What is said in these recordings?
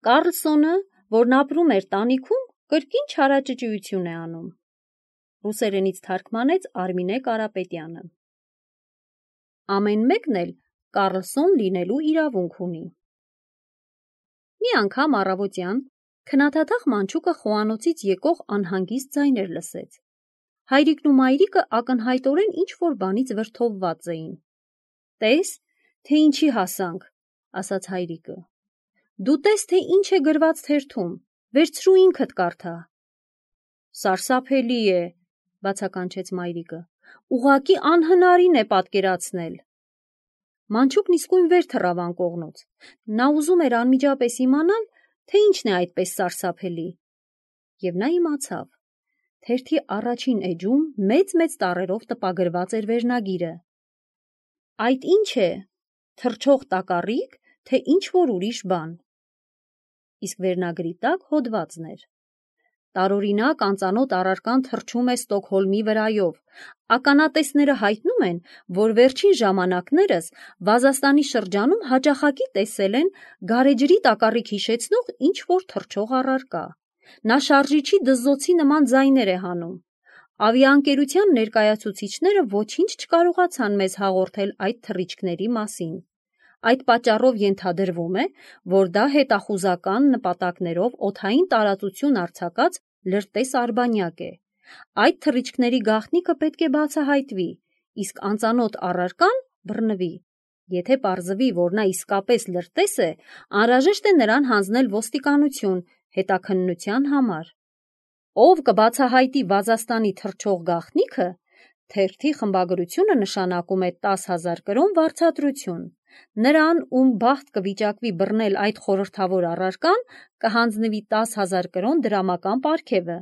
Կարլսոնը, որն ապրում էր տանիքում, կրկին չարաճճիություն է անում։ Ռուսերենից թարգմանեց Արմինե Կարապետյանը։ Ամեն մեկն էլ Կարլսոն լինելու իրավունք ունի։ Մի անգամ առավոտյան քնաթաթախ մանչուկը խոհանոցից եկող անհանգիստ ձայներ լսեց։ Հայրիկն ու մայրիկը ակնհայտորեն ինչ-որ բանից վրդովված էին։ «Տես, թե ինչի հասանք», ասաց հայրիկը։ «Դու տես, թե ինչ է գրված թերթում, վերցրու ինքդ կարդա»։ «Սարսափելի է», բացականչեց մայրիկը, «ուղղակի անհնարին է պատկերացնել»։ Մանչուկն իսկույն վեր թռավ անկողնուց։ Նա ուզում էր անմիջապես իմանալ, թե ինչն է այդպես սարսափելի։ Եվ նա իմացավ։ Թերթի առաջին էջում մեծ-մեծ տառերով տպագրված էր վերնագիրը։ «Այդ ի՞նչ է, թռչող տակառիկ, թե ինչ-որ ուրիշ բան»։ Իսկ վերնագրի տակ հոդվածն էր. «Տարօրինակ անծանոթ առարկան թռչում է Ստոկհոլմի վրայով։ Ականատեսները հայտնում են, որ վերջին ժամանակներս Վազաստանի շրջանում հաճախակի տեսել են գարեջրի տակառիկ հիշեցնող ինչ-որ թռչող առարկա։ Նա շարժիչի դզզոցի նման ձայներ է հանում։ Ավիաընկերության ներկայացուցիչները ոչինչ չկարողացան մեզ հաղորդել այդ թռիչքների մասին։ Այդ պատճառով ենթադրվում է, որ դա հետախուզական նպատակներով օդային տարածություն արձակած լրտես արբանյակ է։ Այդ թռիչքների գաղտնիքը պետք է բացահայտվի, իսկ անծանոթ առարկան բռնվի։ Եթե պարզվի, որ նա իսկապես լրտես է, անհրաժեշտ է նրան հանձնել ոստիկանություն հետաքննության համար։ Ով կբացահայտի Վազաստանի թռչող գաղտնիքը, թերթի խմբագրությունը նշանակում է 10,000 կրոն վարձատրություն։ Նրան, ում բախտ կվիճակվի բռնել այդ խորհրդավոր առարկան, կհանձնվի 10,000 կրոն դրամական պարգևը։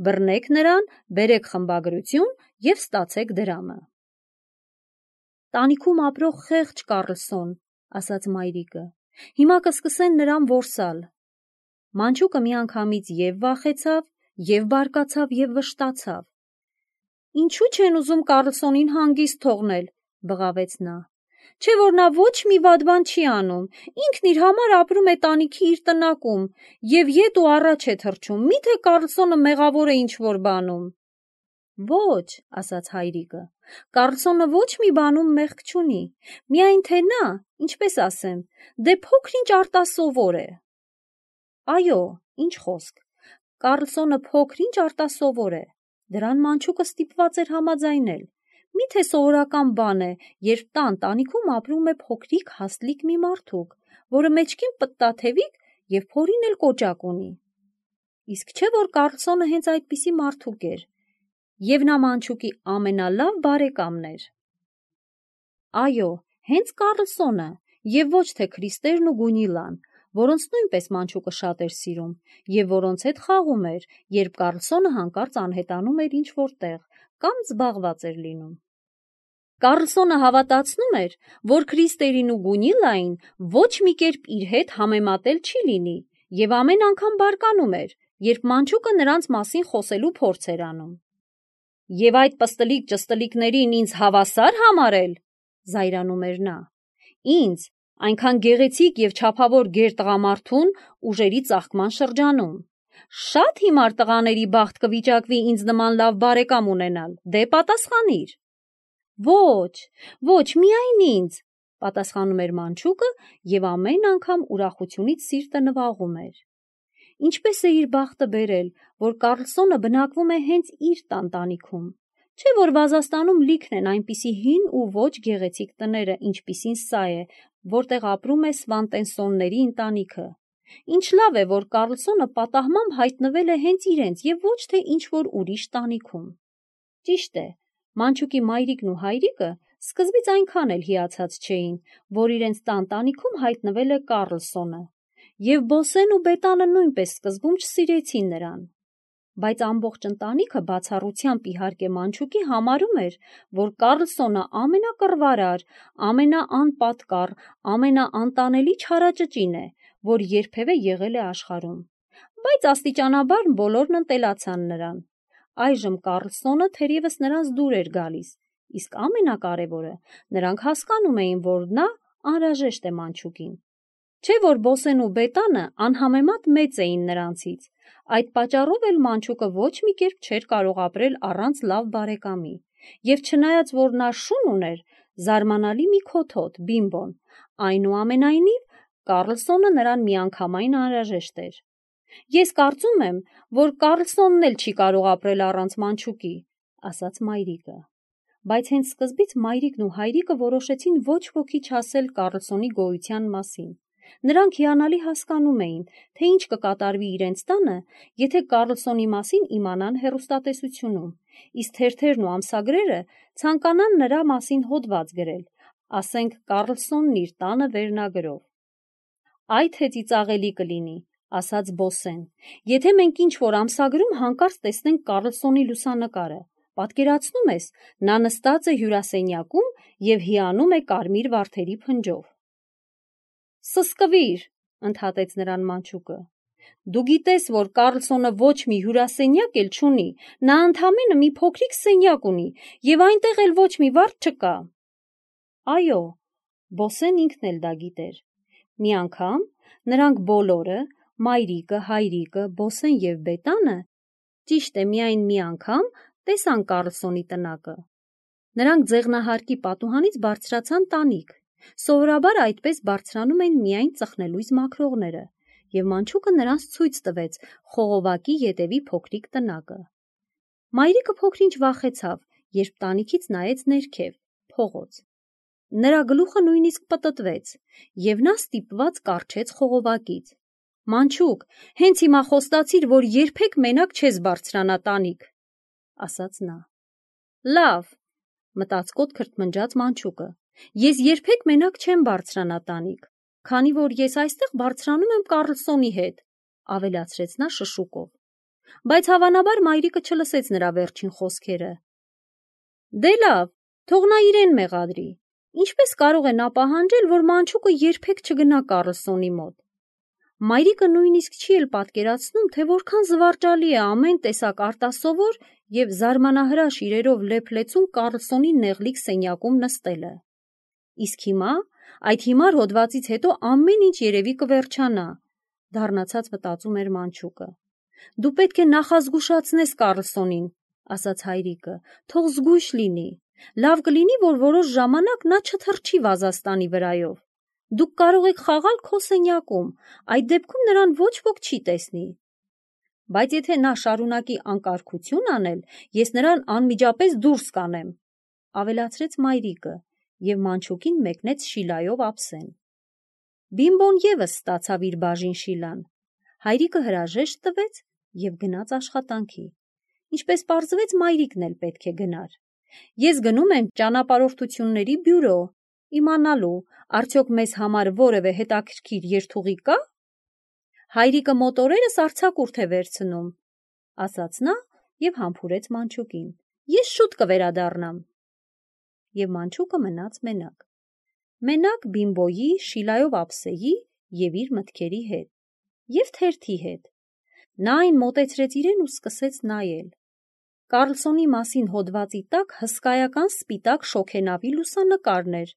Բռնեք նրան, բերեք խմբագրություն և ստացեք դրամը։ Տանիքում ապրող խեղճ Կարլսոն, ասաց մայրիկը, հիմա կսկսեն նրան որսալ։ Մանչուկը միանգամից և վախեցավ, և բարկացավ, և վշտացավ։ Ինչու չեն ուզում Կարլսոնին հանգիստ թողնել, բղավեց նա։ Չէ որ նա ոչ մի վատ բան չի անում, ինքն իր համար ապրում է տանիքի իր տնակում և ետ ու առաջ է թռչում, միթե Կարլսոնը մեղավոր է ինչ-որ բանում։ Ոչ, ասաց հայրիկը, Կարլսոնը ոչ մի բանում մեղք չունի, միայն թե նա, ինչպես ասեմ, դե փոքր-ինչ արտասովոր է։ Այո, ինչ խոսք, Կարլսոնը փոքր-ինչ արտասովոր է, դրան մանչուկը ստիպված էր համաձայնել։ Միթե սովորական բան է, երբ տանիքում ապրում է փոքրիկ հաստլիկ մի մարդուկ, որը մեջքին պտտաթևիկ և փորին էլ կոճակ ունի։ Իսկ չէ որ Կարլսոնը հենց այդպիսի մարդուկ էր, և նա մանչուկի ամենալավ բարեկամն էր։ Այո, հենց Կարլսոնը, և ոչ թե Քրիստերն ու Գունիլան, որոնց նույնպես մանչուկը շատ էր սիրում, և որոնց հետ խաղում էր, երբ Կարլսոնը հանկարծ անհետանում էր ինչ-որ տեղ կամ զբաղված էր լինում։ Կարլսոնը հավատացնում էր, որ Քրիստերին ու Գունիլային ոչ մի կերպ իր հետ համեմատել չի լինի, և ամեն անգամ բարկանում էր, երբ մանչուկը նրանց մասին խոսելու փորձ էր անում։ Եվ այդ պստլիկ-ճստլիկներին ինձ հավասար համարել, զայրանում էր նա։ Ինձ, այնքան գեղեցիկ և չափավոր գեր տղամարդուն ուժերի ծաղկման շրջանում։ Շատ հիմար տղաների բախտ կվիճակվի ինձ նման լավ բարեկամ ունենալ, դե պատասխանիր։ Ոչ, ոչ, միայն ինձ, պատասխանում էր մանչուկը և ամեն անգամ ուրախությունից սիրտը նվաղում էր։ Ինչպես է իր բախտը բերել, որ Կարլսոնը բնակվում է հենց իր տանտանիքում, չէ որ Վազաստանում լիքն են այնպիսի հին ու ոչ գեղեցիկ տները, ինչպիսին սա է, որտեղ ապրում է Սվանտենսոնների ընտանիքը։ Ինչ լավ է, որ Կարլսոնը պատահմամբ հայտնվել է հենց իրենց և ոչ թե ինչ-որ ուրիշ տանիքում։ Ճիշտ է, մանչուկի մայրիկն ու հայրիկը սկզբից այնքան էլ հիացած չէին, որ իրենց տանտանիքում հայտնվել է Կարլսոնը, և Բոսեն ու Բետանը նույնպես սկզբում չսիրեցին նրան։ Բայց ամբողջ ընտանիքը բացառությամբ իհարկե մանչուկի համարում էր, որ Կարլսոնը ամենակռվարար, ամենաանպատկառ, ամենաանտանելի չարաճճին է, որ երբևէ եղել է աշխարհում։ Բայց աստիճանաբար բոլորն ընտելացան նրան։ Այժմ Կարլսոնը թերևս նրանց դուր էր գալիս, իսկ ամենակարևորը, նրանք հասկանում էին, որ նա անհրաժեշտ է մանչուկին։ Չէ որ Բոսեն ու Բետանը անհամեմատ մեծ էին նրանցից, այդ պատճառով էլ Մանչուկը ոչ մի կերպ չէր կարող ապրել առանց լավ բարեկամի, և չնայած որ նա շուն ուներ, զարմանալի մի քոթոտ, Բիմբոն, այնուամենայնիվ Կառլսոնը նրան միանգամայն անհրաժեշտ էր։ Ես կարծում եմ, որ Կառլսոնն էլ չի կարող ապրել առանց Մանչուկի, ասաց մայրիկը։ Բայց հենց սկզբից մայրիկն ու հայրիկը որոշեցին ոչ ոքի չասել Կառլսոնի գոյության մասին։ Նրանք հիանալի հասկանում էին, թե ինչ կկատարվի իրենց տանը, եթե Կառլսոնի մասին իմանան հեռուստատեսությունում, իսկ թերթերն ու ամսագրերը ցանկանան նրա մասին հոդված գրել, ասենք Կառլսոնն իր տանը վերնագրով։ Այդ թե ծիծաղելի կլինի, ասաց Բոսեն, եթե մենք ինչ-որ ամսագրում հանկարծ տեսնենք Կառլսոնի լուսանկարը, պատկերացնում ես, նա նստած է հյուրասենյակում և հիանում է կարմիր վարդերի փնջով։ Սսկվիր, ընդհատեց նրան Մանչուկը։ Դու գիտես, որ Կառլսոնը ոչ մի հյուրասենյակ էլ չունի, նա ընդամենը մի փոքրիկ սենյակ ունի, և այնտեղ էլ ոչ մի վարդ չկա։ Այո, Բոսեն ինքն էլ դա գիտեր։ Մի անգամ նրանք բոլորը, մայրիկը, հայրիկը, Բոսեն և Բետանը, ճիշտ է, միայն մի անգամ տեսան Կառլսոնի տնակը։ Նրանք ձեղնահարկի պատուհանից բարձրացան տանիք։ Սովորաբար այդպես բարձրանում են միայն ծխնելույս մաքրողները, և Մանչուկը նրանց ցույց տվեց խողովակի ետևի փոքրիկ տնակը։ Մայրիկը փոքր-ինչ վախեցավ, երբ տանիքից նայեց ներքև, փողոց։ Նրա գլուխը նույնիսկ պտտվեց, և նա ստիպված կառչեց խողովակից։ Մանչուկ, հենց հիմա խոստացիր, որ երբեք մենակ չես բարձրանա տանիք, ասաց նա։ Լավ, մտածկոտ քրթմնջաց Մանչուկը, ես երբեք մենակ չեմ բարձրանա տանիք, քանի որ ես այստեղ բարձրանում եմ Կառլսոնի հետ, ավելացրեց նա շշուկով, բայց հավանաբար մայրիկը չլսեց նրա վերջին խոսքերը։ Դե լավ, թող նա իրեն մեղադրի, ինչպես կարող է նա պահանջել, որ Մանչուկը երբեք չգնա Կառլսոնի մոտ։ Մայրիկը նույնիսկ չի էլ պատկերացնում, թե որքան զվարճալի է ամեն տեսակ արտասովոր և զարմանահրաշ իրերով լեփլեցուն Կառլսոնի նեղլիկ սենյակում նստելը։ Իսկ հիմա, այդ հիմար հոդվածից հետո ամեն ինչ երևի կվերջանա, դառնացած մտածում էր Մանչուկը։ Դու պետք է նախազգուշացնես Կառլսոնին, ասաց հայրիկը, թող զգույշ լինի։ Լավ կլինի, որ որոշ ժամանակ նա չթռչի վազաստանի վրայով։ Դուք կարող եք խաղալ քո սենյակում, այդ դեպքում նրան ոչ ոք չի տեսնի։ Բայց եթե նա շարունակի անկարգություն անել, ես նրան անմիջապես դուրս կանեմ, ավելացրեց մայրիկը, և Մանչուկին մեկնեց շիլայով ափսեն։ Բիմբոն ևս ստացավ իր բաժին շիլան։ Հայրիկը հրաժեշտ տվեց և գնաց աշխատանքի։ Ինչպես պարզվեց, մայրիկն էլ պետք է գնար։ Ես գնում եմ ճանապարհորդությունների բյուրո, իմանալու, արդյոք մեզ համար որևէ հետաքրքիր երթուղի կա։ Հայրիկը մոտորերս արձակուրդ է վերցնում, ասաց նա և համբուրեց Մանչուկին։ Ես շուտ կվերադառնամ։ Եվ Մանչուկը մնաց մենակ։ Մենակ Բիմբոյի, շիլայով ափսեի և իր մտքերի հետ, և թերթի հետ։ Նա այն մոտեցրեց իրեն ու սկսեց նայել։ Կառլսոնի մասին հոդվածի տակ հսկայական սպիտակ շոգենավի լուսանկարն էր,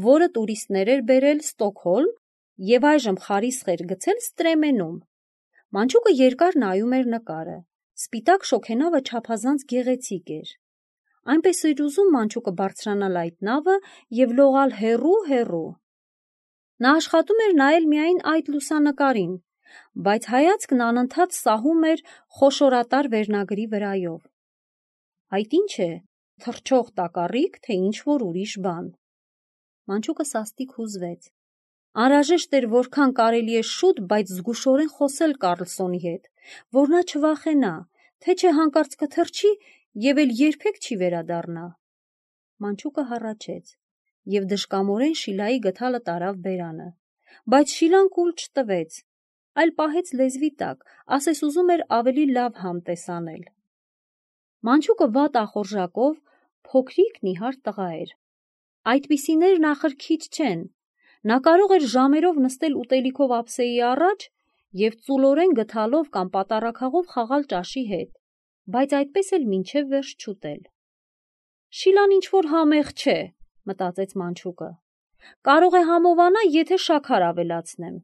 որը տուրիստներ էր բերել Ստոկհոլմ և այժմ խարիսխ էր գցել Ստրեմենում։ Մանչուկը երկար նայում էր նկարը։ Սպիտակ շոգենավը չափազանց գեղեցիկ էր։ Այնպես էր ուզում Մանչուկը բարձրանալ այդ նավը և լողալ հեռու։ Նա աշխատում էր նայել միայն այդ լուսանկարին, բայց հայացքն անընդհատ սահում էր խոշորատար վերնագրի վրայով։ Այդ ի՞նչ է, թռչող տակառիկ, թե ինչ-որ ուրիշ բան։ Մանչուկը սաստիկ հուզվեց։ Անհրաժեշտ էր որքան կարելի է շուտ, բայց զգուշորեն խոսել Կառլսոնի հետ, որ նա չվախենա, թե չէ հանկարծ կթռչի և էլ երբեք չի վերադառնա։ Մանչուկը հառաչեց և դժկամորեն շիլայի գդալը տարավ բերանը, բայց շիլան կուլ չտվեց, այլ պահեց լեզվի տակ, ասես ուզում էր ավելի լավ համ տեսանել։ Մանչուկը վատ ախորժակով փոքրիկ նիհար տղա էր։ Այդպիսիներն ախր քիչ չեն։ Նա կարող էր ժամերով նստել ուտելիքով ափսեի առաջ և ծուլորեն գդալով կամ պատառաքաղով խաղալ ճաշի հետ, բայց այդպես էլ մինչև վերջ չուտել։ Շիլան ինչ-որ համեղ չէ, մտածեց Մանչուկը։ Կարող է համովանա, եթե շաքար ավելացնեմ,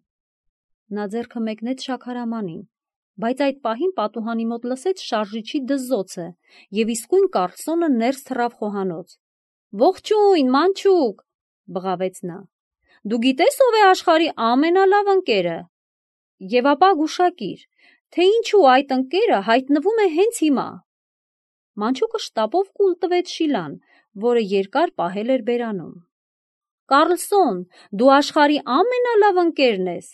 Նա ձեռքը մեկնեց շաքարամանին, բայց այդ պահին պատուհանի մոտ լսեց շարժիչի դզզոցը և իսկույն Կարլսոնը ներս թռավ խոհանոց։ «Ողջույն, մանչուկ», բղավեց նա, «դու գիտես ով է աշխարհի ամենալավ ընկերը»։ Եվ ապա գուշակիր, թե ինչու այդ ընկերը հայտնվում է հենց հիմա։ Մանչուկը շտապով կուլ տվեց Շիլան, որը երկար պահել էր բերանում։ «Կարլսոն, դու աշխարհի ամենալավ ընկերն ես,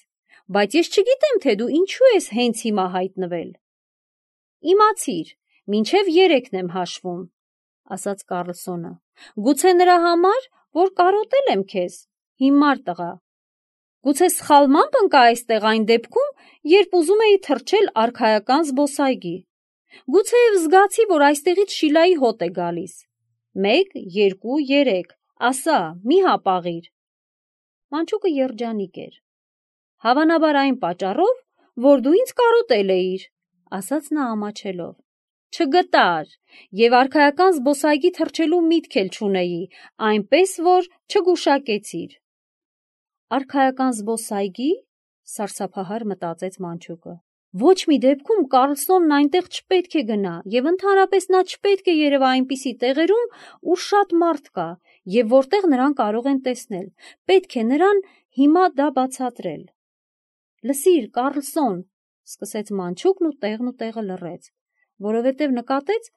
բայց ես չգիտեմ, թե դու ինչու ես հենց հիմա հայտնվել»։ «Իմացիր, մինչև 3-ն եմ հաշվում», ասաց Կարլսոնը։ «Գուցե նրա համար, որ կարոտել եմ քեզ, հիմար տղա։ Գուցե սխալմամբ ընկա այստեղ այն դեպքում, երբ ուզում էի թռչել արքայական զբոսայգի։ Գուցեև զգացի, որ այստեղից Շիլայի հոտ է գալիս։ 1, 2, 3, ասա, մի հապաղիր»։ Մանչուկը երջանիկ էր։ «Հավանաբար այն պատճառով, որ դու ինձ կարոտել էիր», ասաց նա ամաչելով։ «Չգտար, և արքայական զբոսայգի թռչելու միտք էլ չունեի, այնպես որ չգուշակեցիր»։ «Արքայական զբոսայգի», սարսափահար մտածեց Մանչուկը։ «Ոչ մի դեպքում Կարլսոնն այնտեղ չպետք է գնա, և ընդհանրապես նա չպետք է երևա այնպիսի տեղերում, ուր շատ մարդ կա, և որտեղ նրան կարող են տեսնել։ Պետք է նրան հիմա դա բացատրել»։ «Լսիր, Կարլսոն», սկսեց Մանչուկն ու տեղը լռեց, որովհետև նկատեց,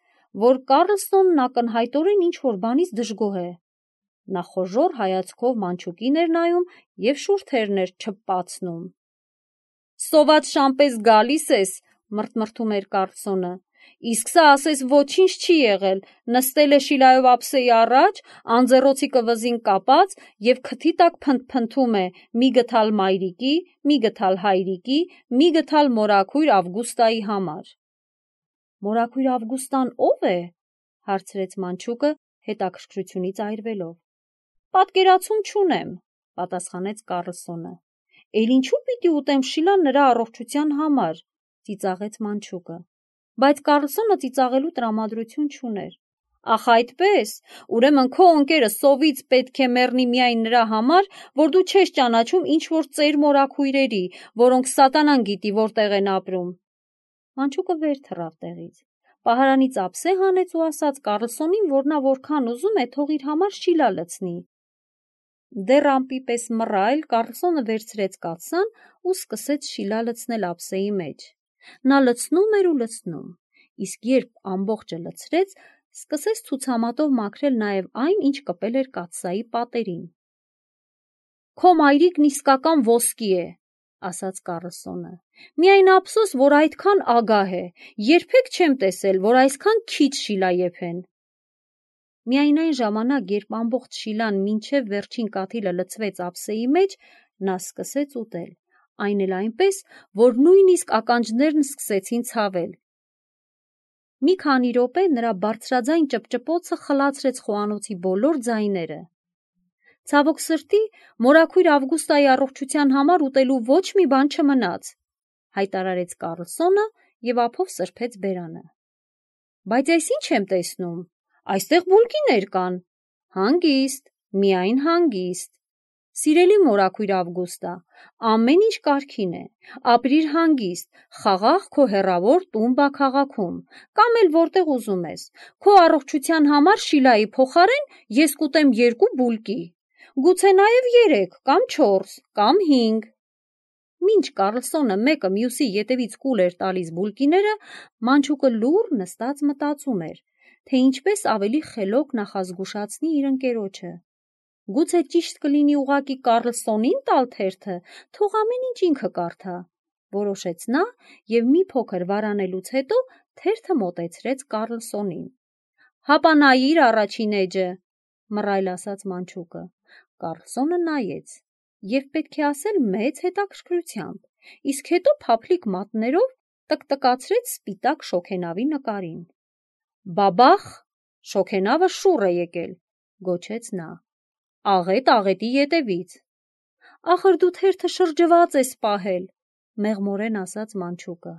որ Կարլսոնն ակնհայտորեն ինչ-որ բանից դժգոհ է։ Նա խոժոռ հայացքով Մանչուկին էր նայում և շուրթերն էր չփպացնում։ «Սոված շան պես գալիս ես», մռթմռթում էր Կարլսոնը, «իսկ սա ասես ոչինչ չի եղել, նստել է Շիլայով ափսեի առաջ, անձեռոցիկը վզին կապած և քթի տակ փնթփնթում է մի գթալ մայրիկի, մի գթալ հայրիկի, մի գթալ մորաքույր Ավգուստայի համար»։ «Մորաքույր Ավգուստան ո՞վ է», հարցրեց Մանչուկը հետաքրքրությունից այրվելով։ «Պատկերացում չունեմ», պատասխանեց Կարլսոնը։ «Էլ ինչու պիտի ուտեմ Շիլան նրա առողջության համար», ծիծաղեց Մանչուկը։ Բայց Կարլսոնը ծիծաղելու տրամադրություն չուներ։ «Ախ այդպես, ուրեմն քո ընկերը սովից պետք է մեռնի միայն նրա համար, որ դու չես ճանաչում ինչ-որ ծեր մորաքույրերի, որոնք սատանան գիտի որտեղ են ապրում»։ Մանչուկը վեր թռավ տեղից, պահարանից ափսե հանեց ու ասաց Կարլսոնին, որ նա որքան ուզում է թող իր համար Շիլա լցնի։ Դեռ ամպի պես մռայլ Կարլսոնը վերցրեց կաթսան ու սկսեց Շիլա լցնել ափսեի մեջ։ Նա լցնում էր ու լցնում, իսկ երբ ամբողջը լցրեց, սկսեց ցուցամատով մաքրել նաև այն, ինչ կպել էր կաթսայի պատերին։ «Քո մայրիկն իսկական ոսկի է», ասաց Կարլսոնը։ «Միայն ափսոս, որ այդքան ագահ է, երբեք չեմ տեսել, որ այսքան քիչ Շիլա եփեն»։ Միայն այն ժամանակ, երբ ամբողջ Շիլան մինչև վերջին կաթիլը լցվեց ափսեի մեջ, նա սկսեց ուտել, այն էլ այնպես, որ նույնիսկ ականջներն սկսեցին ցավել։ Մի քանի րոպե նրա բարձրաձայն ճպճպոցը խլացրեց խոհանոցի բոլոր ձայները։ «Ցավոք սրտի, մորաքույր Ավգուստայի առողջության համար ուտելու ոչ մի բան չմնաց», հայտարարեց Կարլսոնը և ափով սրբեց բերանը։ «Բայց այս ինչ եմ տեսնում, այստեղ բուլկիներ կան»։ «Հանգիստ, միայն հանգիստ։ Սիրելի մորաքույր Ավգուստա, ամեն ինչ կարգին է, ապրիր հանգիստ, խաղաղ քո հեռավոր Տումբա քաղաքում, կամ էլ որտեղ ուզում ես։ Քո առողջության համար Շիլայի փոխարեն ես կուտեմ 2 բուլկի, գուցե նաև 3 կամ 4 կամ 5։ Մինչ Կարլսոնը մեկը մյուսի ետևից կուլ էր տալիս բուլկիները, Մանչուկը լուռ նստած մտածում էր, թե ինչպես ավելի խելոք նախազգուշացնի իր ընկերոջը։ Գուցե ճիշտ կլինի ուղղակի Կարլսոնին տալ թերթը, թող ամեն ինչ ինքը կարդա, որոշեց նա և մի փոքր վարանելուց հետո թերթը մոտեցրեց Կարլսոնին։ «Հապա նայիր առաջին էջը», մռայլ ասաց Մանչուկը։ Կարլսոնը նայեց և պետք է ասել մեծ հետաքրքրությամբ, իսկ հետո փափլիկ մատներով տկտկացրեց սպիտակ շոգենավի նկարին։ «Բաբախ, շոգենավը շուռ է եկել», գոչեց նա։ «Աղետ աղետի ետևից»։ «Ախր դու թերթը շրջված ես պահել», մեղմորեն ասաց Մանչուկը։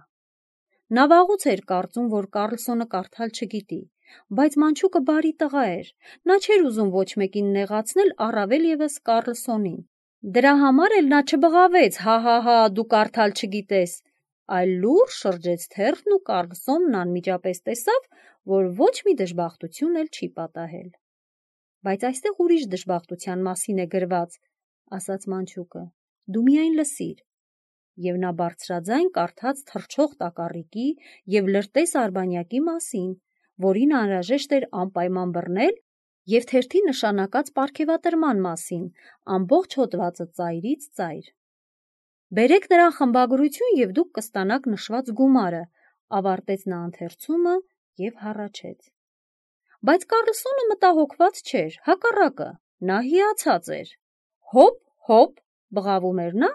Նա վաղուց էր կարծում, որ Կարլսոնը կարդալ չգիտի, բայց Մանչուկը բարի տղա էր, նա չէր ուզում ոչ մեկին նեղացնել, առավել ևս Կարլսոնին։ Դրա համար էլ նա չբղավեց, հա, դու կարդալ չգիտես, այլ լուռ շրջեց թերթն ու Կառլսոնն անմիջապես տեսավ, որ ոչ մի դժբախտություն էլ չի պատահել։ Բայց այստեղ ուրիշ դժբախտության մասին է գրված, ասաց մանչուկը, դու միայն լսիր։ Եվ նա բարձրաձայն կարդաց թռչող տակառիկի և լրտես արբանյակի մասին, որին անհրաժեշտ էր անպայման բռնել, և թերթի նշանակած պարգևատրման մասին, ամբողջ հոդվածը ծայրից ծայր։ Բերեք նրան խմբագրություն և դուք կստանաք նշված գումարը, ավարտեց նա ընթերցումը և հառաչեց։ Բայց Կառլսոնը մտահոգված չէր, հակառակը, նա հիացած էր։ Հոպ, բղավում էր նա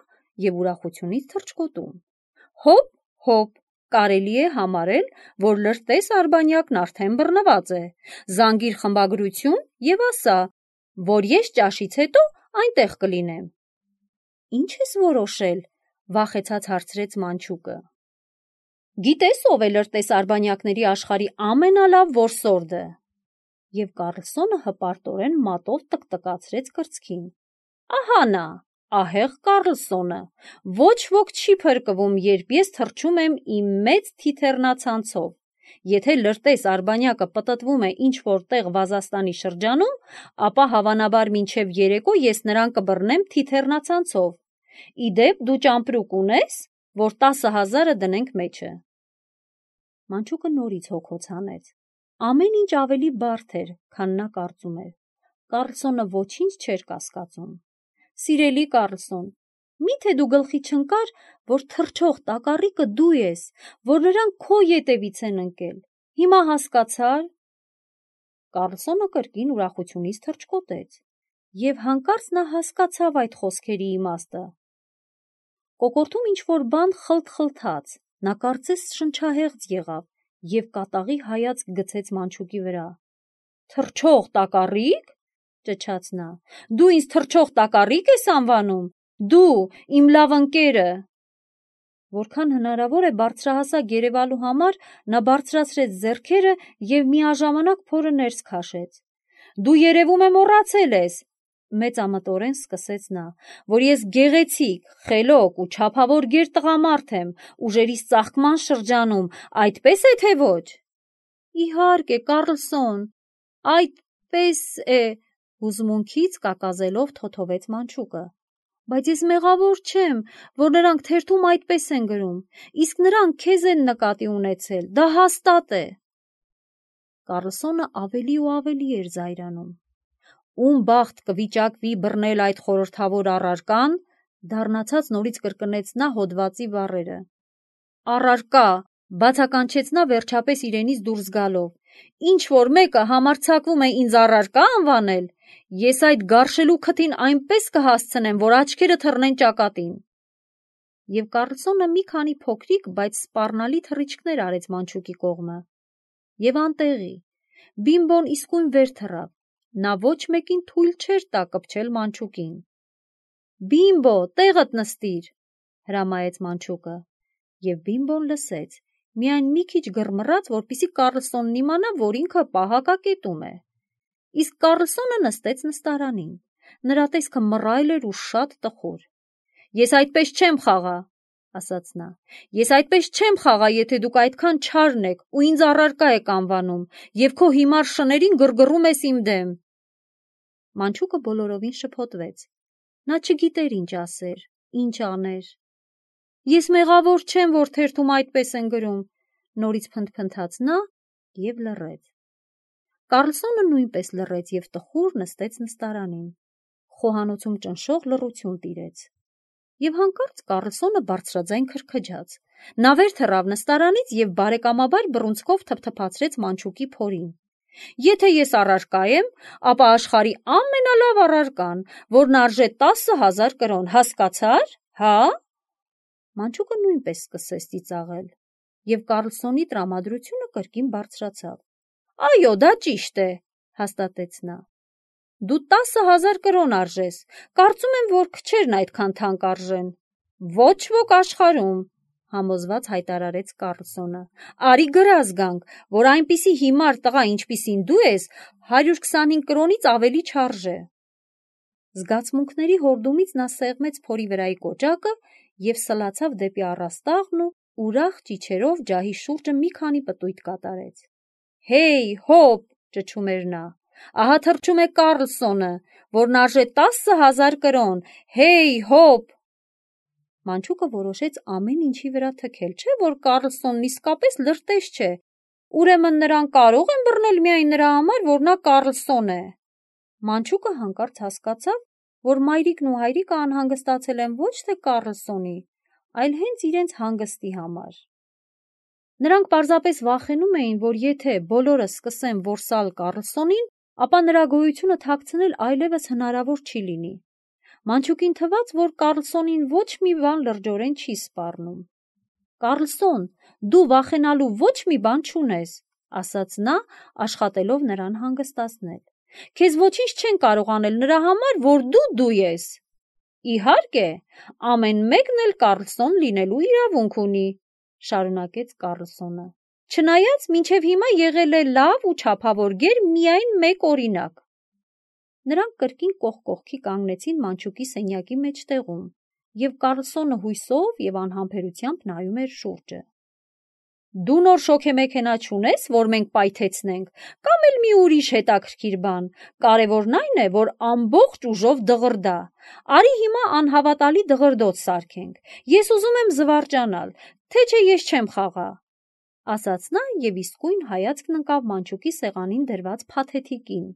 և ուրախությունից թռչկոտում։ Հոպ, կարելի է համարել, որ լրտես արբանյակն արդեն բռնված է, զանգիր խմբագրություն և ասա, որ ես ճաշից հետո այնտեղ կլինեմ։ Ինչ ես որոշել, վախեցած հարցրեց մանչուկը։ Գիտես ով է լրտես արբանյակների աշխարհի ամենալավ որսորդը։ Եվ Կառլսոնը հպարտորեն մատով տկտկացրեց կրծքին։ Ահա նա, ահեղ Կառլսոնը, ոչ ոք չի փրկվում, երբ ես թռչում եմ իմ մեծ թիթեռնացանցով։ Եթե լրտես արբանյակը պտտվում է ինչ-որ տեղ Վազաստանի շրջանում, ապա հավանաբար մինչև երեկո ես նրան կբռնեմ թիթեռնացանցով։ Իդեպ դու ճամպրուկ ունե՞ս, որ 10,000-ը դնենք մեջը։ Մանչուկը նորից հոգոց հանեց։ Ամեն ինչ ավելի բարդ էր, քան նա կարծում էր։ Կառլսոնը ոչինչ չէր կասկածում։ Սիրելի Կառլսոն, միթե դու գլխի չընկար, որ թռչող տակառիկը դու ես, որ նրանք քո ետևից են ընկել։ Հիմա հասկացա՞ր։ Կառլսոնը կրկին ուրախությունից թռչկոտեց, և հանկարծ նա հասկացավ այդ խոսքերի իմաստը։ Կոկորդում ինչ-որ բան խլթխլթաց, նա կարծես շնչահեղձ եղավ և կատաղի հայացք գցեց մանչուկի վրա։ Թռչող տակառի՞կ, ճչաց նա, դու ինձ թռչող տակառի՞կ ես անվանում, դու, իմ լավ ընկերը։ Որքան հնարավոր է բարձրահասակ երևալու համար նա բարձրացրեց ձեռքերը և միաժամանակ փորը ներս քաշեց։ Դու երևում է մոռացել ես, մեծամտորեն սկսեց նա, որ ես գեղեցիկ, խելոք ու չափավոր գեր տղամարդ եմ, ուժերիս ծաղկման շրջանում, այդպես է թե ոչ։ Իհարկե, Կառլսոն, այդպես է, հուզմունքից կակազելով թոթովեց մանչուկը։ Բայց ես մեղավոր չեմ, որ նրանք թերթում այդպես են գրում, իսկ նրանք քեզ են նկատի ունեցել, դա հաստատ է։ Կառլսոնը ավելի ու ավելի էր զայրանում։ Ում բախտ կվիճակվի բռնել այդ խորհրդավոր առարկան, դառնացած նորից կրկնեց նա հոդվածի բառերը։ Առարկա, բացականչեց նա վերջապես իրենից դուրս գալով։ Ինչ որ մեկը համարձակվում է ինձ առարկա անվանել, ես այդ գարշելու քթին այնպես կհասցնեմ, որ աչքերը թռնեն ճակատին։ Եվ Կառլսոնը մի քանի փոքրիկ, բայց սպառնալի թռիչքներ արեց մանչուկի կողմը։ Եվ անտեղի, Բիմբոն իսկույն վեր թռավ, նա ոչ մեկին թույլ չէր տա կպչել մանչուկին։ Բիմբո, տեղդ նստիր, հրամայեց մանչուկը, և Բիմբոն լսեց, միայն մի քիչ գրմռաց, որպեսզի Կառլսոնն իմանա, որ ինքը պահակակետում է։ Իսկ Կառլսոնը նստեց նստարանին, նրա տեսքը մռայլ էր ու շատ տխուր։ Ես այդպես չեմ խաղա, ասաց նա, ես այդպես չեմ խաղա, եթե դուք այդքան չարն եք ու ինձ առարկա եք անվանում, և քո հիմար շներին գրգռում ես իմ դեմ։ Մանչուկը բոլորովին շփոթվեց։ Նա չգիտեր ինչ ասեր, ինչ աներ։ Ես մեղավոր չեմ, որ թերթում այդպես են գրում, նորից փնթփնթաց նա և լռեց։ Կառլսոնը նույնպես լռեց և տխուր նստեց նստարանին։ Խոհանոցում ճնշող լռություն տիրեց։ Եվ հանկարծ Կառլսոնը բարձրաձայն քրքջաց։ Նա վեր թռավ նստարանից և բարեկամաբար բռունցքով թփթփացրեց մանչուկի փորին։ Եթե ես առարկա եմ, ապա աշխարհի ամենալավ առարկան, որն արժե 10,000 կրոն, հասկացա՞ր, հա։ Մանչուկը նույնպես սկսեց ծիծաղել, և Կառլսոնի տրամադրությունը կրկին բարձրացավ։ Այո, դա ճիշտ է, հաստատեց նա։ Դու 10,000 կրոն արժես, կարծում եմ, որ քչերն այդքան թանկ արժեն։ Ոչ ոք աշխարհում, համոզված հայտարարեց Կառլսոնը։ Արի գրազ գանք, որ այնպիսի հիմար տղա, ինչպիսին դու ես, 125 կրոնից ավելի չարժե։ Զգացմունքների հորդումից նա սեղմեց փորի վրայի կոճակը և սլացավ դեպի առաստաղն ու ուրախ ճիչերով ջահի շուրջը մի քանի պտույտ կատարեց։ «Հեյ, հոպ», ճչում էր նա, «ահա թռչում է Կառլսոնը, որն արժե 10,000 կրոն, հեյ, հոպ»։ Մանչուկը որոշեց ամեն ինչի վրա թքել, չէ՞ որ Կառլսոնն իսկապես լրտես չէ, ուրեմն նրան կարող են բռնել միայն նրա համար, որ նա Կառլսոն է։ Մանչուկը հանկարծ հասկացավ, որ մայրիկն ու հայրիկը անհանգստացել են ոչ թե Կառլսոնի, այլ հենց իրենց հանգստի համար։ Նրանք պարզապես վախենում էին, որ եթե բոլորը սկսեն որսալ Կառլսոնին, ապա նրա գոյությունը թաքցնել այլևս հնարավոր չի լինի։ Մանչուկին թվաց, որ Կառլսոնին ոչ մի բան լրջորեն չի սպառնում։ «Կառլսոն, դու վախենալու ոչ մի բան չունես», ասաց նա, աշխատելով նրան հանգստացնել։ «Քեզ ոչինչ չեն կարող անել նրա համար, որ դու ես»։ «Իհարկե, ամեն մեկն էլ Կառլսոն լինելու իրավունք ունի», շարունակեց Կառլսոնը, «չնայած մինչև հիմա եղել է լավ ու չափավոր գեր միայն մեկ օրինակ»։ Նրանք կրկին կողք կողքի կանգնեցին մանչուկի սենյակի մեջտեղում, և Կառլսոնը հույսով և անհամբերությամբ նայում էր շուրջը։ «Դու նոր շոգեմեքենա չունես, որ մենք պայթեցնենք, կամ էլ մի ուրիշ հետաքրքիր բան, կարևորն այն է, որ ամբողջ ուժով դղրդա։ Արի հիմա անհավատալի դղրդոց սարքենք, ես ուզում եմ զվարճանալ, թե չէ ես չեմ խաղա», ասաց նա և իսկույն հայացքն ընկավ մանչուկի սեղանին դրված փաթեթիկին։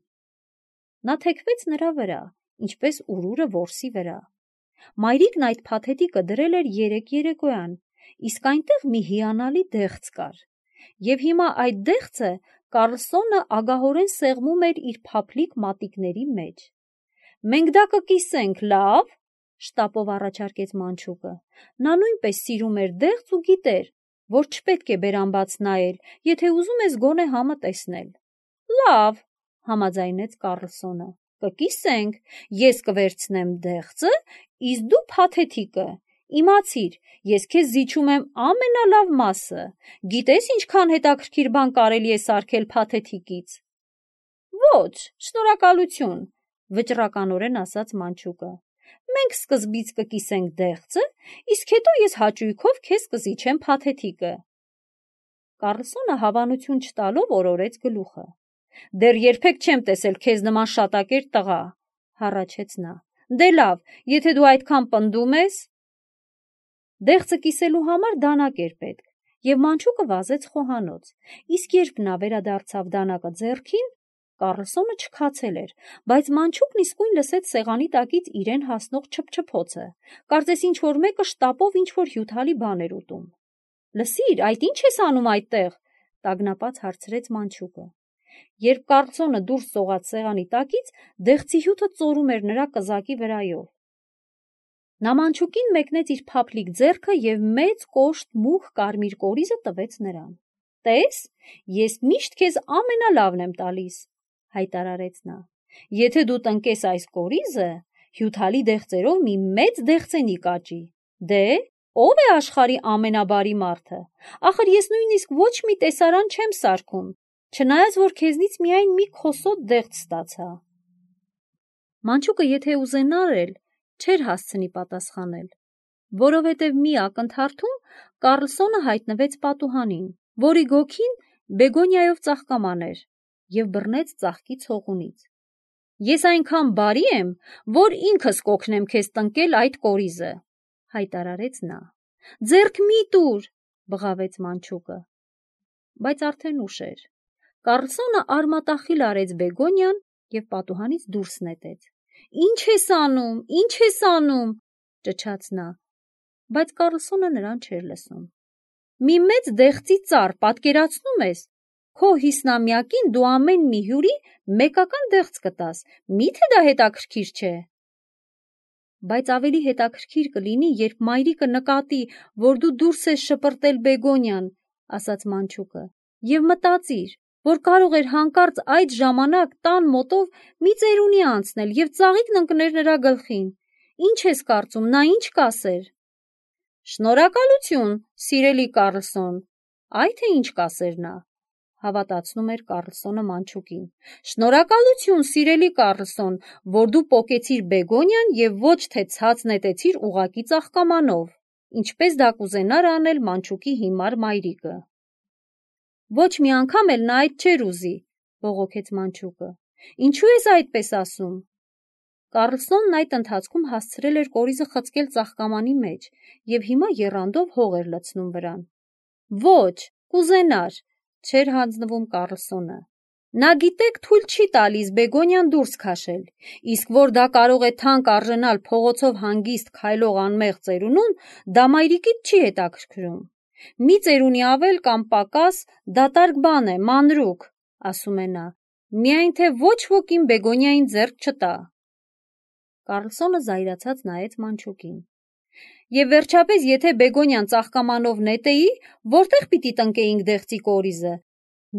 Նա թեքվեց նրա վրա, ինչպես ուրուրը որսի վրա։ Մայրիկն այդ փաթեթիկը դրել էր 3 երեկոյան, իսկ այնտեղ մի հիանալի դեղց կար, և հիմա այդ դեղցը Կառլսոնը ագահորեն սեղմում էր իր փափլիկ մատիկների մեջ։ «Մենք դա կկիսենք, լավ», շտապով առաջարկեց մանչուկը։ Նա նույնպես սիրում էր դեղց ու գիտեր, որ չպետք է բերան բաց նայել, եթե ուզում ես գոնե համը տեսնել։ «Լավ», համաձայնեց Կառլսոնը, «կկիսենք, ես կվերցնեմ դեղցը, իսկ դու փաթեթիկը։ Իմացիր, ես քեզ զիջում եմ ամենալավ մասը, գիտես ինչքան հետաքրքիր բան կարելի է սարքել փաթեթիկից»։ «Ոչ, շնորհակալություն», վճռականորեն ասաց մանչուկը։ «Մենք սկզբից կկիսենք դեղցը, իսկ հետո ես հաճույքով քեզ կզիջեմ փաթեթիկը»։ Կառլսոնը հավանություն չտալով օրորեց գլուխը։ «Դեռ երբեք չեմ տեսել քեզ նման շատակեր տղա», հառաչեց նա։ «Դե լավ, եթե դու այդքան պնդում ես»։ Դեղցը կիսելու համար դանակ էր պետք, և մանչուկը վազեց խոհանոց, իսկ երբ նա վերադարձավ դանակը ձեռքին, Կառլսոնը չքացել էր, բայց մանչուկն իսկույն լսեց սեղանի տակից իրեն հասնող չփչփոցը, կարծես ինչ-որ մեկը շտապով ինչ-որ հյութալի բան էր ուտում։ «Լսիր, այդ ի՞նչ ես անում այդտեղ», տագնապած հարցրեց մանչուկը։ Երբ Կառլսոնը դուրս սողաց սեղանի տակից, դեղցի հյութը ծորում էր նրա կզակի վրայով։ Նա մանչուկին մեկնեց իր փափլիկ ձեռքը և մեծ կոշտ մուգ կարմիր կորիզը տվեց նրան։ «Տես, ես միշտ քեզ ամենալավն եմ տալիս», հայտարարեց նա։ «Եթե դու տնկես այս կորիզը, հյութալի դեղցերով մի մեծ դեղցենի կաճի։ Դե, ո՞վ է աշխարհի ամենաբարի մարդը։ Ախր ես նույնիսկ ոչ մի տեսարան չեմ սարքում, չնայած որ քեզնից միայն մի քոսոտ դեղց ստացա»։ Մանչուկը եթե ուզենար էլ, չէր հասցնի պատասխանել, որովհետև մի ակնթարթում Կառլսոնը հայտնվեց պատուհանին, որի գոգին բեգոնիայով ծաղկաման էր, և բռնեց ծաղկի ցողունից։ «Ես այնքան բարի եմ, որ ինքս կօգնեմ քեզ տնկել այդ կորիզը», հայտարարեց նա։ «Ձեռք մի տուր», բղավեց մանչուկը։ Բայց արդեն ուշ էր։ Կառլսոնը արմատախիլ արեց բեգոնիան և պատուհանից դուրս նետեց։ «Ինչ ես անում, ինչ ես անում», ճչաց նա, բայց Կառլսոնը նրան չէր լսում։ «Մի մեծ դեղցի ծառ, պատկերացնու՞մ ես։ Քո 50-ամյակին դու ամեն մի հյուրի մեկական դեղց կտաս, մի՞թե դա հետաքրքիր չէ»։ «Բայց ավելի հետաքրքիր կլինի, երբ մայրիկը նկատի, որ դու դուրս ես շպրտել բեգոնիան», ասաց մանչուկը, «և մտածիր, որ կարող էր հանկարծ այդ ժամանակ տան մոտով մի ծերունի անցնել և ծաղիկն ընկներ նրա գլխին։ Ինչ ես կարծում, նա ինչ կասեր»։ «Շնորհակալություն, սիրելի Կառլսոն, այ թե ինչ կասեր նա», հավատացնում էր Կառլսոնը Մանչուկին։ Շնորհակալություն, սիրելի Կառլսոն, որ դու պոկեցիր Բեգոնյան և ոչ թե ցած նետեցիր ուղղակի ծաղկամանով, ինչպես դա կուզենար անել Մանչուկի հիմար մայրիկը։ Ոչ մի անգամ էլ նա այդ չէր ուզի, բողոքեց Մանչուկը։ Ինչու ես այդպես ասում։ Կառլսոնն այդ ընթացքում հասցրել էր կորիզը խցկել ծաղկամանի մեջ և հիմա եռանդով հող էր լցնում վրան։ Ոչ, կուզենար, չէր հանձնվում Կառլսոնը։ Նա գիտեք թույլ չի տալիս Բեգոնյան դուրս քաշել, իսկ որ դա կարող է թանկ արժենալ փողոցով հանգիստ քայլող անմեղ ծերունուն, դա մայրիկիդ չի հետաքրքրում։ Մի ծերունի ավել կամ պակաս դատարկ բան է, մանրուք, ասում է նա, միայն թե ոչ ոք իմ Բեգոնյային ձեռք չտա։ Կառլսոնը զայրացած նայեց Մանչուկին։ Եվ վերջապես, եթե Բեգոնյան ծաղկամանով նետեի, որտեղ պիտի տնկեինք դեղցի կորիզը։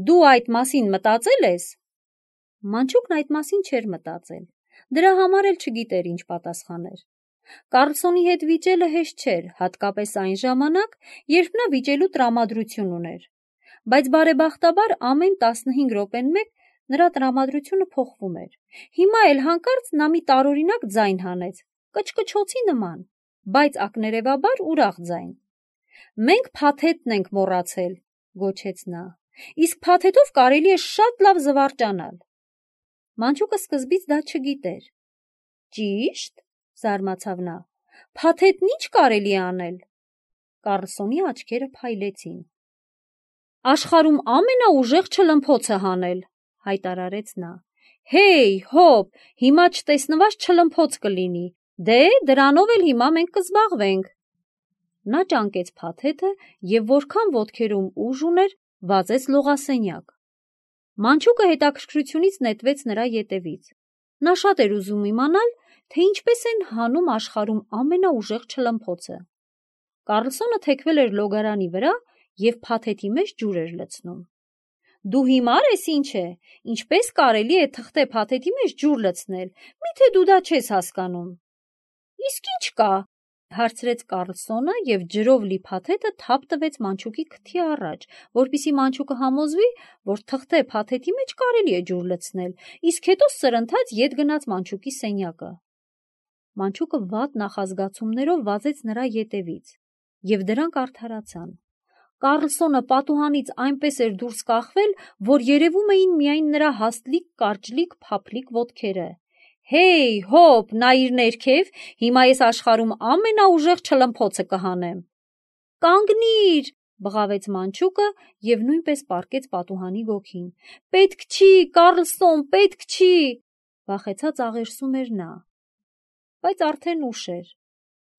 Դու այդ մասին մտածել ես։ Մանչուկն այդ մասին չէր մտածել։ Դրա համար էլ չգիտեր ինչ պատասխաներ։ Կառլսոնի հետ վիճելը հեշտ չէր, հատկապես այն ժամանակ, երբ նա վիճելու տրամադրություն ուներ։ Բայց բարեբախտաբար ամեն 15 րոպեն մեկ նրա տրամադրությունը փոխվում էր։ Հիմա էլ հանկարծ նա մի տարօրինակ ձայն հանեց, կչկչոցի նման, բայց ակներևաբար ուրախ ձայն։ Մենք փաթեթն ենք մոռացել, գոչեց նա։ Իսկ փաթեթով կարելի է շատ լավ զվարճանալ։ Մանչուկը սկզբից դա չգիտեր։ Ճիշտ, զարմացավ նա։ Փաթեթն ինչ կարելի է անել։ Կառլսոնի աչքերը փայլեցին։ Աշխարհում ամենաուժեղ չլմփոցը հանել, հայտարարեց նա։ Հեյ, հոп, հիմա չտեսնված չլմփոց կլինի։ Դե, դրանով էլ հիմա մենք կզբաղվենք։ Նա ճանկեց փաթեթը և որքան ոտքերում ուժ ուներ, վազեց լողասենյակ։ Մանչուկը հետաքրքրությունից նետվեց նրա ետևից։ Նա շատ էր ուզում իմանալ, թե ինչպես են հանում աշխարհում ամենաուժեղ չլմփոցը։ Կառլսոնը թեքվել էր լոգարանի վրա և փաթեթի մեջ ջուր էր լցնում։ Դու հիմար ես ինչ է, ինչպես կարելի է թղթե փաթեթի մեջ ջուր լցնել, միթե դու դա չես հասկանում։ Իսկ ինչ կա, հարցրեց Կառլսոնը և ջրով լի փաթեթը թափ տվեց Մանչուկի քթի առաջ, որպեսզի Մանչուկը համոզվի, որ թղթե փաթեթի մեջ կարելի է ջուր լցնել, իսկ հետո սրընթաց ետ գնաց Մանչուկի սենյակը։ Մանչուկը վատ նախազգացումներով վազեց նրա ետևից, և դրանք արդարացան։ Կառլսոնը պատուհանից այնպես էր դուրս կախվել, որ երևում էին միայն նրա հաստլիկ, կարճլիկ, փափլիկ ոտքերը։ Հեյ, հոп, նայիր ներքև, հիմա ես աշխարհում ամենաուժեղ չլմփոցը կհանեմ։ Կանգնիր, բղավեց Մանչուկը և նույնպես պառկեց պատուհանի գոգին։ Պետք չի, Կառլսոն, պետք չի, վախեցած աղերսում էր նա։ Բայց արդեն ուշ էր։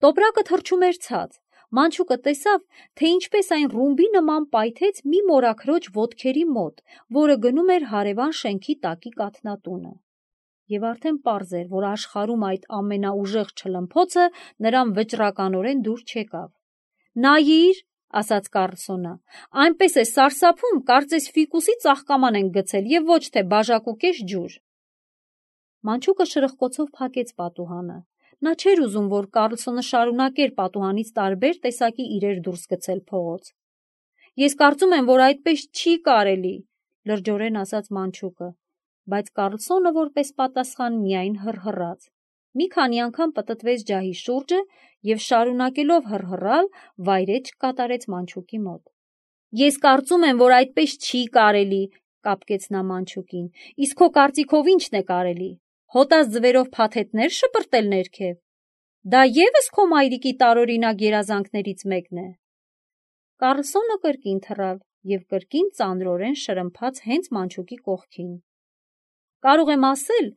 Տոպրակը թռչում էր ցած։ Մանչուկը տեսավ, թե ինչպես այն ռումբի նման պայթեց մի մորաքրոջ ոտքերի մոտ, որը գնում էր հարևան շենքի տակի կաթնատունը։ Եվ արդեն պարզ էր, որ աշխարհում այդ ամենաուժեղ չլմփոցը նրան վճռականորեն դուր չեկավ։ Նայիր, ասաց Կառլսոնը, այնպես է սարսափում, կարծես ֆիկուսի ծաղկաման են գցել և ոչ թե բաժակուկես ջուր։ Մանչուկը շրխկոցով փակեց պատուհանը։ Նա չէր ուզում, որ Կառլսոնը շարունակեր պատուհանից տարբեր տեսակի իրեր դուրս գցել փողոց։ Ես կարծում եմ, որ այդպես չի կարելի, լրջորեն ասաց Մանչուկը, բայց Կառլսոնը որպես պատասխան միայն հռհռաց։ Մի քանի անգամ պտտվեց ջահի շուրջը և շարունակելով հռհռալ, վայրէջք կատարեց Մանչուկի մոտ։ Ես կարծում եմ, որ այդպես չի կարելի, կապկեց նա Մանչուկին, իսկ քո կարծիքով ի՞նչն է կարելի։ Հոտած ձվերով փաթեթներ շպրտել ներքև։ Դա ևս քո մայրիկի տարօրինակ երազանքներից մեկն է։ Կառլսոնը կրկին թռավ և կրկին ծանրորեն շրմփաց հենց Մանչուկի կողքին։ Կարող եմ ասել,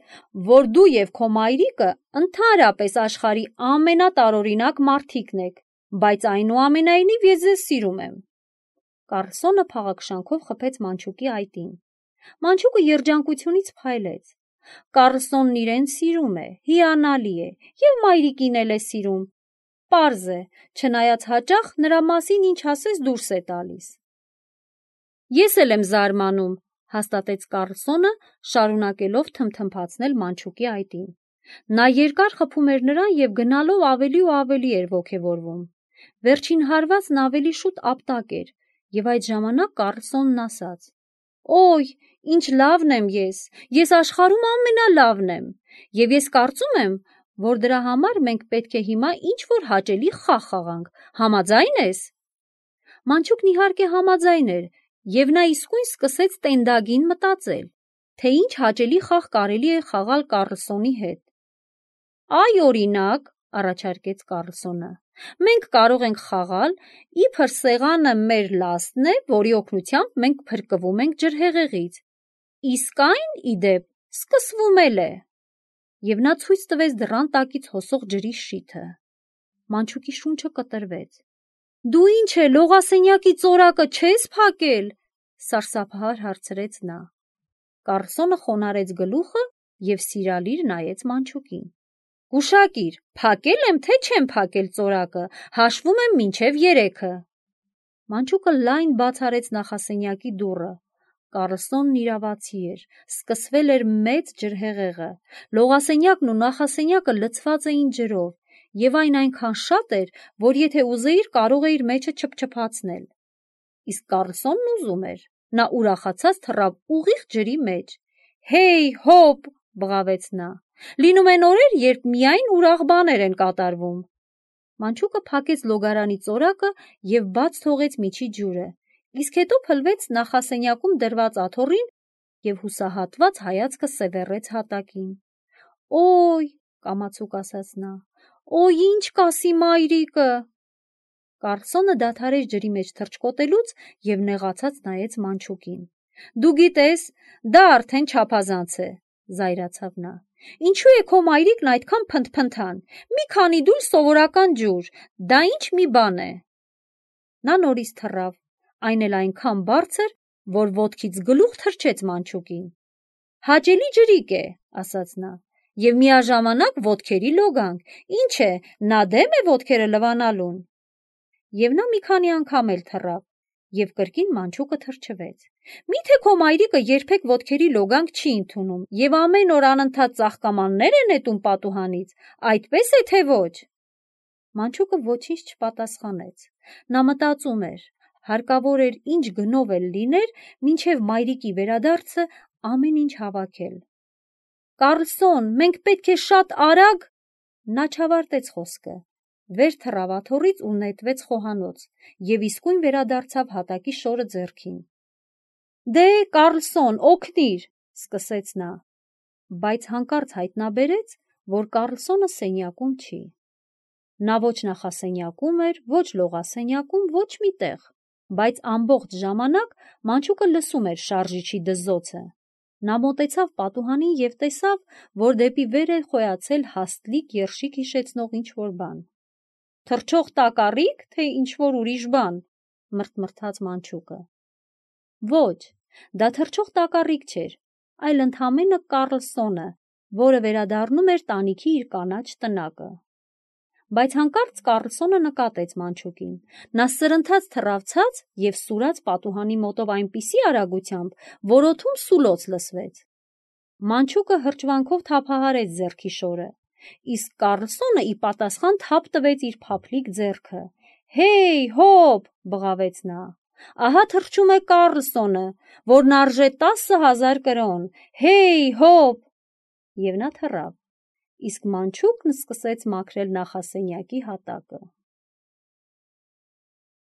որ դու և քո մայրիկը ընդհանրապես աշխարհի ամենատարօրինակ մարդիկն եք, բայց այնուամենայնիվ ես ձեզ սիրում եմ։ Կառլսոնը փաղաքշանքով խփեց Մանչուկի այտին։ Մանչուկը երջանկությունից փայլեց։ Կառլսոնն իրեն սիրում է, հիանալի է, և մայրիկին էլ է սիրում։ Պարզ է, չնայած հաճախ նրա մասին ինչ ասես դուրս է տալիս։ Ես էլ եմ զարմանում, հաստատեց Կառլսոնը, շարունակելով թմթմփացնել Մանչուկի այտին։ Նա երկար խփում էր նրան և գնալով ավելի ու ավելի էր ոգևորվում։ Վերջին հարվածն ավելի շուտ ապտակ էր, և այդ ժամանակ Կառլսոնն ասաց. Օй, ինչ լավն եմ ես աշխարհում ամենալավն եմ, եւ ես կարծում եմ, որ դրա համար մենք պետք է հիմա ինչ-որ հաճելի խաղ խաղանք, համաձայն ես։ Մանչուկն իհարկե համաձայն էր, եւ նա իսկույն սկսեց տենդագին մտածել, թե ինչ հաճելի խաղ կարելի է խաղալ Կառլսոնի հետ։ Այ օրինակ, առաջարկեց Կառլսոնը, մենք կարող ենք խաղալ, իբր սեղանը մեր լաստն է, որի օգնությամբ մենք փրկվում ենք ջրհեղեղից, իսկ այն, ի դեպ, սկսվում էլ է։ Եվ նա ցույց տվեց դռան տակից հոսող ջրի շիթը։ Մանչուկի շունչը կտրվեց։ Դու ինչ է, լողասենյակի ծորակը չես փակել, սարսափահար հարցրեց նա։ Կառլսոնը խոնարհեց գլուխը եւ սիրալիր նայեց Մանչուկին։ Գուշակիր, փակել եմ, թե չեմ փակել ծորակը, հաշվում եմ մինչև 3-ը։ Մանչուկը լայն բաց արեց նախասենյակի դուռը։ Կառլսոնն իրավացի էր, սկսվել էր մեծ ջրհեղեղը, լողասենյակն ու նախասենյակը լցված էին ջրով, եւ այն այնքան շատ էր, որ եթե ուզեիր, կարող էիր մեջը չփչփացնել։ Իսկ Կառլսոնն ուզում էր, նա ուրախացած թռավ ուղիղ ջրի մեջ։ Հեյ, հոպ, բղավեց նա։ Լինում են օրեր, երբ միայն ուրախ բաներ են կատարվում։ Մանչուկը փակեց լոգարանի ծորակը եւ բաց թողեց միջի ջուրը, իսկ հետո փլվեց նախասենյակում դրված աթոռին եւ հուսահատված հայացքը սևեռեց հատակին։ Օй, կամացուկ ասաց նա, օй, ինչ կասի մայրիկը։ Կառլսոնը դադարեց ջրի մեջ թռչկոտելուց եւ նեղացած նայեց Մանչուկին։ Դու գիտես, դա արդեն չափազանց է, զայրացավ նա։ Ինչու է քո մայրիկն այդքան փնթփնթան։ Մի քանի դույլ սովորական ջուր, դա ինչ մի բան է։ Նա նորից թռավ, այն էլ այնքան բարձր, որ ոտքից գլուխ թռչեց Մանչուկին։ Հաճելի ջրիկ է, ասաց նա, եւ միաժամանակ ոտքերի լոգանք։ Ինչ է, նա դեմ է ոտքերը լվանալուն։ Եվ նա մի քանի անգամ էլ թռավ, եւ կրկին Մանչուկը թրջվեց։ Միթե քո մայրիկը երբեք ոտքերի լոգանք չի ընդունում եւ ամեն օր անընդհատ ծաղկամաններ է նետում պատուհանից, այդպես է թե ոչ։ Մանչուկը ոչինչ չպատասխանեց։ Նա մտածում էր, հարկավոր էր ինչ գնով էլ լիներ, մինչև մայրիկի վերադարձը ամեն ինչ հավաքել։ Կառլսոն, մենք պետք է շատ արագ։ Նա չավարտեց խոսքը։ Վեր թռավ աթոռից ու նետվեց խոհանոց եւ իսկույն վերադարձավ հատակի շորը ձեռքին։ Դե, Կառլսոն, օգնիր, սկսեց նա, բայց հանկարծ հայտնաբերեց, որ Կառլսոնը սենյակում չի։ Նա ոչ նախասենյակում էր, ոչ լողասենյակում, ոչ մի տեղ, բայց ամբողջ ժամանակ Մանչուկը լսում էր շարժիչի դզոցը։ Նա մոտեցավ պատուհանին եւ տեսավ, որ դեպի վեր է խոյացել հաստլիկ երշիկ հիշեցնող ինչ-որ բան։ Թռչող տակառի՞կ, թե ինչ-որ ուրիշ բան, մրթմրթաց Մանչուկը։ Ոչ, դա թռչող տակառիկ չէր, այլ ընդամենը Կառլսոնը, որը վերադառնում էր տանիքի իր կանաչ տնակը։ Բայց հանկարծ Կառլսոնը նկատեց Մանչուկին։ Նա սրընթաց թռավ ցած եւ սուրաց պատուհանի մոտով այնպիսի արագությամբ, որ օդում սուլոց լսվեց։ Մանչուկը հրճվանքով թափահարեց ձեռքի շորը, իսկ Կառլսոնը ի պատասխան թափ տվեց իր փափլիկ ձեռքը։ Հեյ, հոպ, բղավեց նա։ Ահա թռչում է Կառլսոնը, որն արժե 10,000 կրոն։ Հեյ, հոպ։ Եվ նա թռավ, իսկ Մանչուկն սկսեց մաքրել նախասենյակի հատակը։